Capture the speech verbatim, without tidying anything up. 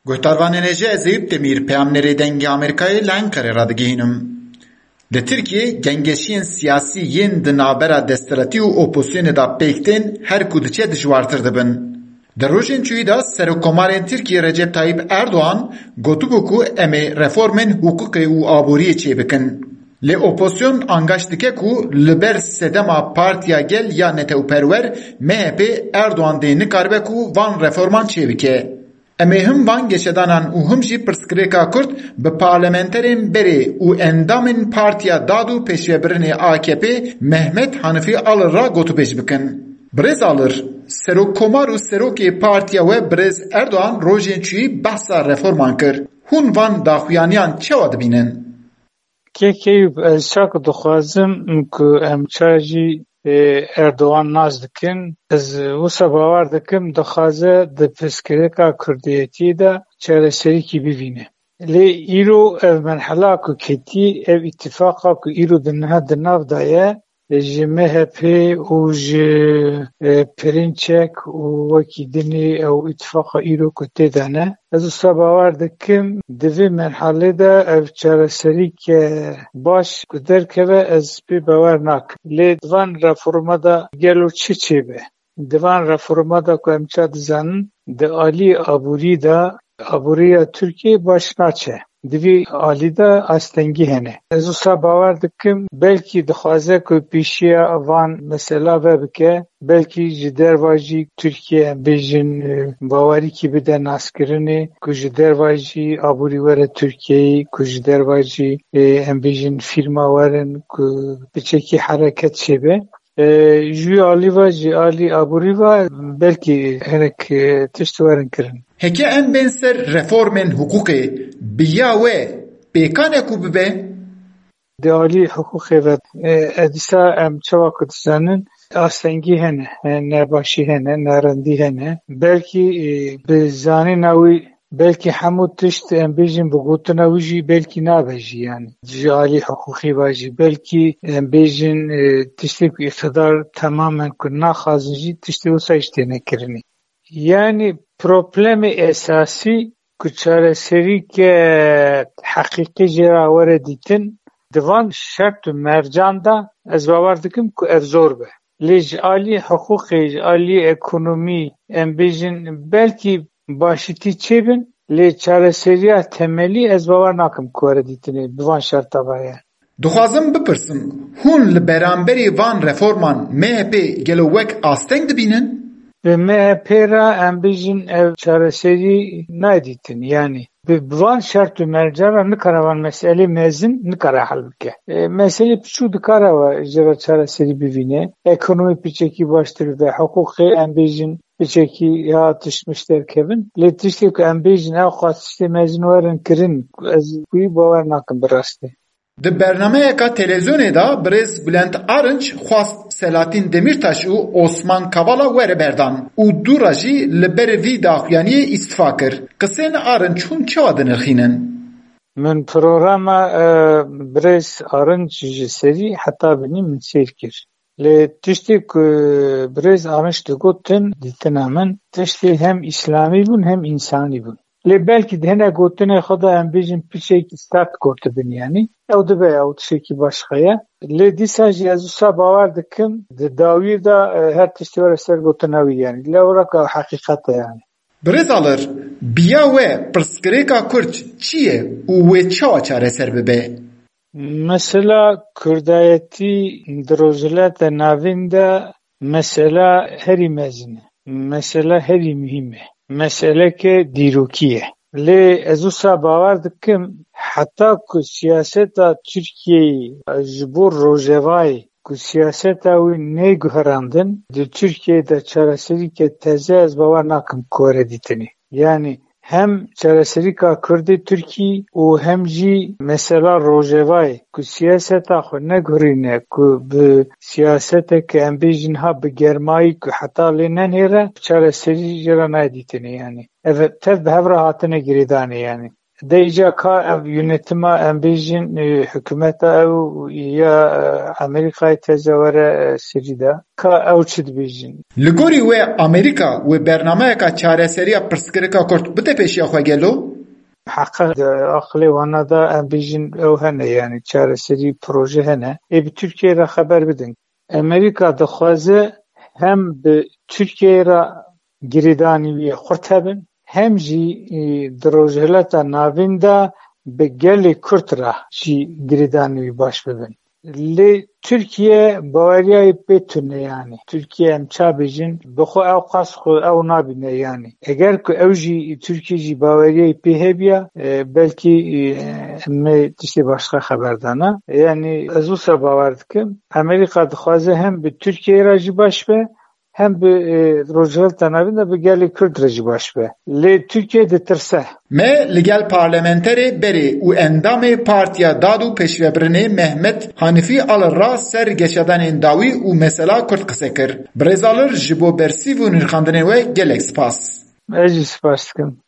Guhdarvanên hêja, ez Eyûp Demîr, peyamnêrê Dengê Amerîkayê li Enqerê radigihînim. Li Tirkiyê gengeşiyên siyasî yên di navbera desthilatî û opozisyonê de pêk tên her ku diçe dijwartir dibin. Di rojên çûyî de Serokkomarên Tirkiyê Recep Tayyip Erdogan gotibû ku em ê reformên hiqûqê û aboriyê çêbikin. Lê opozisyon angaş dike ku li ber sedema Partiya Gel ya netewperwer, M H P, Erdogan dê nikaribe ku van reforman çêbike. Em ê him van geşedanan û him jî pirsgirêka Kurd bi parlamenterên berê û endamên Partiya Dad û Pêşvebirinê A K P Mehmet Hanifî Alır re gotûbêj bikin. Birêz Alır, serokkomar û serokê partiya we birêz Erdogan rojên çûyî behsa reforman kir. Hûn van daxuyaniyan çawa dibînin? Kek Eyûp, ez çak dixwazim ku em ça jî, e, Erdogan nas dikin. Ez wisa bawer dikim, dixwaze di pirsgirêka kurdiyetî de çareserîkî bivîne. Lê îro ev merhela ku ketî, ev îtifaqa ku îro di niha di nav de ye, ji M H P û ji, e, Perinçek û wekî dinê ew îtifaqa îro ku tê de ne. Ez wisa bawer dikim, di vê merhalê de ev çareserîke baş ku derkeve, ez pê bawer nakim. Lê di van reforma de gelo çi çêbe? Di van reforma de ku em ça dizanin, di alî aborî de, aboriya Tirkiyê baş naçe. Di vî alî de astengî hene. Ez wisa bawer dikim, belkî dixwaze ku pêşiya van mesela vebike, belkî ji derva jî Tirkiye, em bêjin, e, bawerîkî bide naskirinê, ku ji derva jî aborî were Tirkiyeyê, ku ji derva jî, e, em bêjin fîrma werin, ku piçekî hereket çêbe. E, ji wî alî ve, ji alî aborî ve belkî hinek, e, tişt werin kirin. Heke em bên ser reformên hiqûqê, bi ya we pêkan e ku bibe? Di alî hiqûqê ve, e, e, dîsa em çawa ku dizanin, astengî hene, e, nebaşî hene, nerindî hene. Belkî, e, bi zanîna wî, belkî hemû tişt, em bêjin, bi gotina wî jî belkî nabe jî, yanî ji alî hiqûqî ve jî, belkî, em bêjin, e, tiştê ku îqtidar temamen ku naxwazin jî, tiştê wisa jî têne kirinê. Yanî problemê esasî ku çareserîke heqîqî jê re were dîtin, di van şert û mercan de ez bawer dikim ku ev zor be. Lê ji alî hiqûqê, ji alî ekonomî, em bêjin, belkî başîtî çêbin, lê çareseriya temelî ez bawer nakim ku were dîtinê bi van şerta ve ye. Dixwazim bipirsim, hûn li beramberî van reforman M H P gelo wek asteng dibînin? Bi M H P re em bêjin ev çareserî nayê dîtin, yanî bi, bi van şert û mercan re nikare van meselê mezin nikare hel bike. E, meselê piçûk dikare we jê re çareserî bivîne. Ekonomî piçekî baştir bibe, hiqûqê em bêjin piçekî ya tiştmiş derkevin. Lê tiştê ku em bêjin ew xwest tiştê mezin werin kirin, ez wî bawer nakim bi rastî. Di bernameyeka televîzyonê de birêz Bülent Arınç xwest Selahattin Demirtaş û Osman Kavala were berdan û dû re jî li ber vî daxuyaniyê îstifa kir. Qisên Arınç hûn çawa dinirxînin? Min programa, e, birêz Arınç ji serî heta binî min seyr kir. Lê tiştê ku birêz Arınç digotin, dîtina min, tiştê hem îslamî bûn hem însanî bûn. Lê belkî di hinek gotinê xwe de em bêjin piçekî sert gotibin, yanî ew dibe ew tiştekî başqa ye. Lê dîsa jî ez wisa bawer dikim, di dawî de, e, her tiştê were ser gotina wî, yanî lewra ku ew heqîqet e, yanî. Birêz Alır, bi ya we pirsgirêka Kurd çi ye û wê çawa çareser bibe? Mesela kurdayetî di Rojhilata Navîn de mesela herî mezin e. Mesela herî muhîm e. Meseleke dîrokî ye. Lê ez wisa bawer dikim, heta ku siyaseta Tirkiyeyê ji bo Rojavayê ku siyaseta wî neyê guherandin, di Tirkiyeyê de çareserîke teze ez bawer nakim ku were dîtinê. Yanî hem çareserîka Kurdê Tirkî û hem jî mesela Rojavayê ku siyaseta xwe neguherîne, ku bi siyaseteke em bêjin ha bi germayî ku heta lê nenihêre çareserî jê re nayê dîtinê, yanî ev tev bi hev re hatine girêdanê, yanî. De îca ka ev yönetima em bêjin, e, hikûmeta ew ya, e, Amerîkayê teze were, e, Sirî de. Ka ew çi dibêjin? Li gorî we Amerîka wê bernameyeka çareseriya pirsgirêka Kurd bide pêşiya xwe gelo? Heqa di aqilê wana de em bêjin ew hene, yanî çareserî proje hene. Ê bi Tirkiyeyê re xeber bidin. Amerîka dixwaze hem bi Tirkiyeyê re girêdanî wî xurt hebin, hem jî, e, di Rojhilata Navîn de bi gelê Kurd re jî girêdanî wî baş bibin. Lê Tirkiye baweriya wî pê tune, yanî Tirkiye em ça bêjin, bi xwe ew qas xwe ew nabîne, yanî eger ku ew jî, Tirkiye jî baweriya wî pê hebiya, e, belkî, e, em ê tiştê başqa xeber dana. Yanî ez wisa bawer dikim, Amerîka dixwaze hem bi Tirkiyeyê re jî baş be, hem bi, e, Rojhilata Navîn de bi gelê Kurd re jî baş be. Lê Tirkiye ditirse. Me li gel parlamenterê berê û endamê Partiya Dad û Pêşvebirinê Mehmet Hanifî Alir re ser geşedanên dawî û mesela Kurd qise kir. Birêz Alir ji bo bersîv û nirxandinên we gelek spas. Ez jî spas dikim.